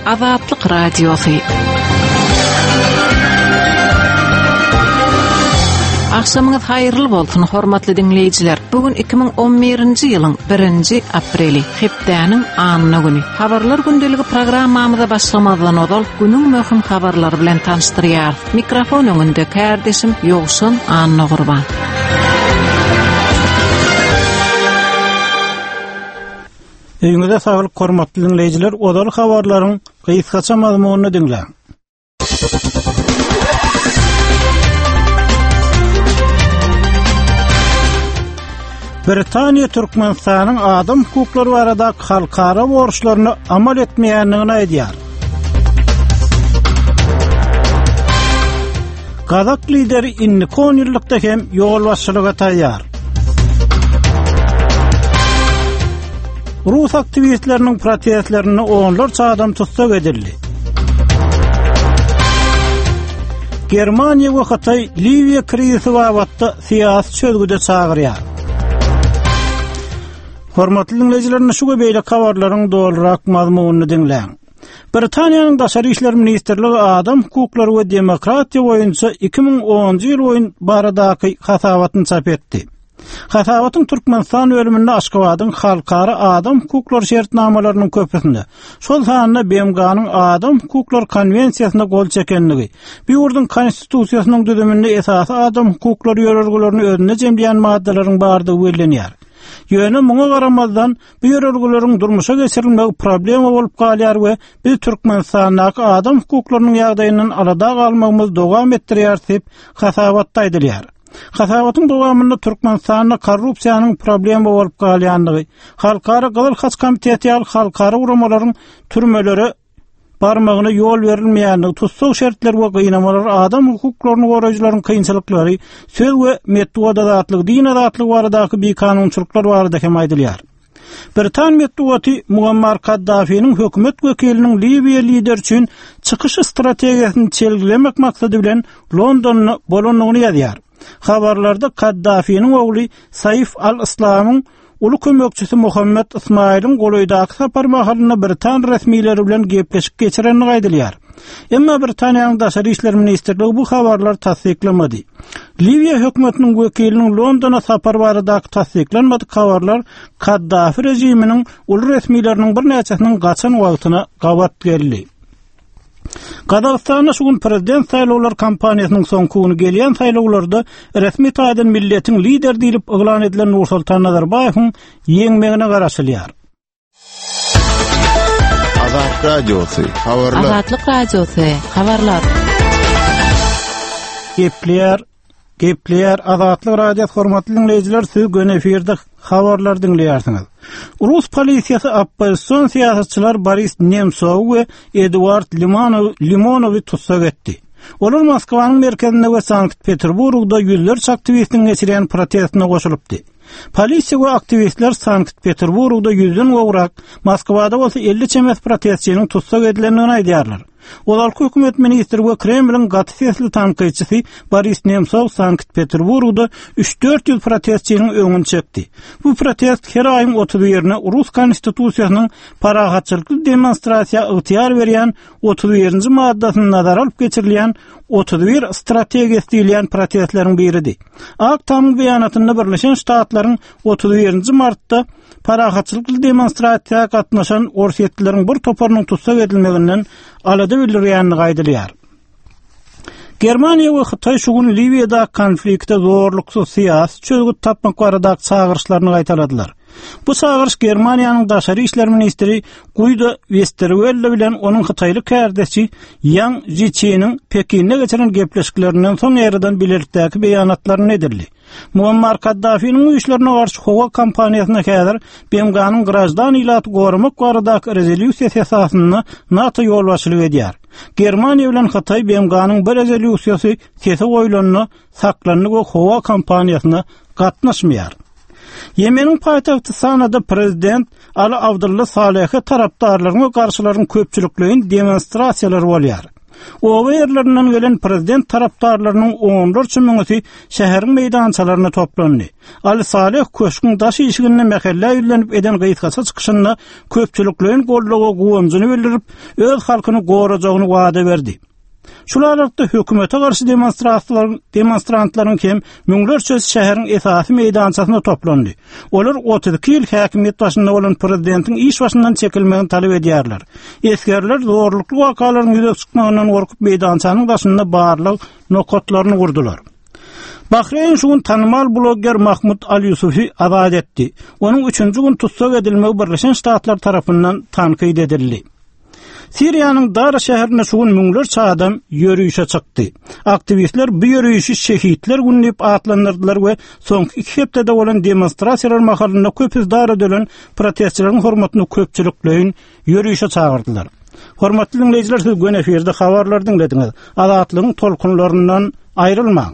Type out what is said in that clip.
Azatlyk Radiosy. Agşamyňyz haýyrly bolsun, hormatly diňleýjiler. Bu gün 2011-nji ýylyň 1-nji apreli, hepdäniň anna güni. Habarlar gündeligi programmamyza başlamazdan ozal günüň möhüm habarlary bilen tanyşdyrýarys. Mikrofon öňünde kärdeşim Ýowşan Annagurban. Öýüňize saglyk hormatly diňleýjiler, ozal habarlaryň gysgaça mazmunyny diňläň. Britaniýa Türkmenistanyň adam hukuklary baradaky halkara borçlaryna amal etmeýändigini aýdýar. Gazak lideri indiki on ýyllykda hem ýolbaşçylyga taýýar. Rus aktiwistleriniň protestlerinde onlarça adam tussag edildi. Germaniýa we Hytaý Liwiýa krizisi babatda syýasy çözgüde çagyrýar. Hormatly diňleýjiler, şu we beýleki habarlaryň dolurak mazmunyny diňläň. Britaniýanyň Daşary işler ministrligi adam hukuklary we demokratiýa boýunça 2010-njy ýyl boýun baradaky hasabatyny çap etdi. Hasabatyň Türkmenistan bölüminde Aşgabadyň halkara adam hukuklary şertnamalarynyň köpüsinde, şol sanda BMG-niň Adam hukuklary konwensiýasyna gol çekenligi, bu ýurduň Konstitusiýasynyň düzüminde esasy adam hukuklary ýörelgelerini özünde jemleýän maddalaryň bardygy bellenýär. Ýöne muňa garamazdan, bu ýörelgeleriň durmuşa geçirilmegi problema bolup galýar we biz Türkmenistandaky adam hukuklarynyň ýagdaýyndan alada galmagymyzy dowam etdirýäris diýip, hasabatda aýdylýar. Hasabatyň dowamynda Türkmenistanda korrupsiýanyň problema bolup galýandygy, Halkara Gyzyl Haç komiteti ýaly halkara guramalaryň türmelere barmagyna ýol berilmeýändigi, tussag şertleri we gynamalar, adam hukuklaryny goraýjylaryň kynçylyklary, söz we metbugat azatlygy, din azatlygy baradaky bikanunçylyklar barada hem aýdylýar. Britan metbugaty Muammar Kaddafiniň hökümet wekiliniň Liwiýa lideri üçin çykyş strategiýasyny çelgilemek maksady bilen Londonda bolandygyny ýazýar. Habarlarda Kaddafiniň ogly Saif al-Islamyň Uly kömekçisi Muhammet Ysmaýylyň golaýdaky sapar mahalynda britan resmileri bilen gepleşik geçirendigi aýdylýar. Emma Britaniýanyň Daşary işler ministrligi bu habarlary tassyklamady. Liwiýa hökümetiniň wekiliniň Londona sapary baradaky tassyklanmadyk habarlar Kaddafi režiminiň uly resmileriniň birnäçesiniň gaçan wagtyna gabat geldi. Gazagystanda şu gün prezident saýlawlar kampaniýasynyň soňky güni gelýän saýlawlarda resmi taýdan milletiň lideri diýlip yglan edilen Nursultan Nazarbaýewiň ýeňmegine garaşylýar. Azat Radiosy, habarlar. Azatlyk Radiosy, habarlar. Gepleýär, gepleýär Azatlyk Radiosy hormatly diňleýjiler, siz göni efirde habarlar diňleýärsiňiz. Rus polisiýasy oppozision syýasatçylar Boris Nemsowy we Eduard Limanow, Limonowy tussag etdi. Olar Moskwanyň merkezinde we Sankt-Peterburgda ýüzlerçe aktiwistiň geçirýän protestine goşulypdy. Polisiýa we aktiwistler Sankt-Peterburgda ýüzden gowrak, Moskwada bolsa 50 çemesi protestçiniň tussag edilendigini aýdýarlar. Ozalky hökümet ministri we Kremliň gaty sesli tankytçysy Boris Nemsow Sankt-Peterburgda üç-dört ýüz protestçiniň öňüni çekdi. Bu protest her aýyň 31-ine rus konstitusiýasynyň parahatçylykly demonstrasiýa ygtyýar berýän 31-nji maddasyny nazara alyp geçirilýän 31 strategiýasy diýilýän protestleriň biridi. Ak Tamyň beýanatynda Birleşen Ştatlaryň 31-nji martda parahatçylykly demonstrasiýa gatnaşan orsýetlileriň bir toparynyň tussag edilmeginden alada bildirýändigi aýdylýar. Germaniýa we Hytaý şu gün Liwiýadaky konflikte zorluksyz syýasy çözgüt tapmak baradaky çagyryşlaryny gaýtaladylar. Bu çagyryş Germaniýanyň daşary işler ministri Guido Westerwelle bilen onuň hytaýly kärdeşi Ýan Jiçiniň Pekinde geçiren gepleşiklerinden soň ýaýradan bilelikdäki beýanatlarynda edildi. Muammar Kaddafiniň güýçlerine garşy howa kampaniýasyna häzir BMG-niň graždan ilaty goramak baradaky rezolýusiýasy esasynda NATO ýolbaşçylyk edýär. Germaniýa bilen Hytaý BMG-niň bu rezolýusiýasy sese goýlanda saklandy we howa kampaniýasyna gatnaşmaýar. Ýemeniň paýtagty Sanada prezident Ali Abdulla Salehe tarapdarlaryň we garşylaryň köpçülikleýin demonstrasiýalary bolýar. Oba ýerlerinden gelen prezident tarapdarlarynyň onlarça müňüsi şäheriň meýdançalaryna toplandy. Al Saleh köşgüň daş işiginde mähellä ýüzlenip eden gysgaça çykyşynda köpçülikleýin goldawa guwanjyny bildirip, öz halkyny gorajagyny wada berdi. Şul aralykda hökümete garşy demonstrantlaryň demonstrantlaryň hem müňlerçesi şäheriň esasy meýdançasyna toplandy. Olar 32 ýyl häkimiýet başynda bolan prezidentiň iş başyndan çekilmegini talap edýärler. Esgerler zorlukly wakalaryň ýüze çykmagyndan gorkup meýdançanyň daşynda barlag nokatlaryny gurdular. Bahreýn şu gün tanymal blogger Mahmud Al-Ýusufi azat etdi. Onuň üçünji gün tussag edilmegi Birleşen Ştatlar tarapyndan tankyt edildi. Siriýanyň Dara şäherinde şu gün müňlerçe adam ýörişe çykdy. Aktiwistler bu ýörişi Şehitler güni diýip atlandyrdylar we soňky iki hepdede bolan demonstrasiýalar mahalynda köpüsi dara dölen protestçileriň hormatyna köpçülikleýin ýörişe çagyrdylar. Hormatly diňleýjiler, siz göni efirde habarlary diňlediňiz. Azatlygyň tolkunlaryndan aýrylmaň.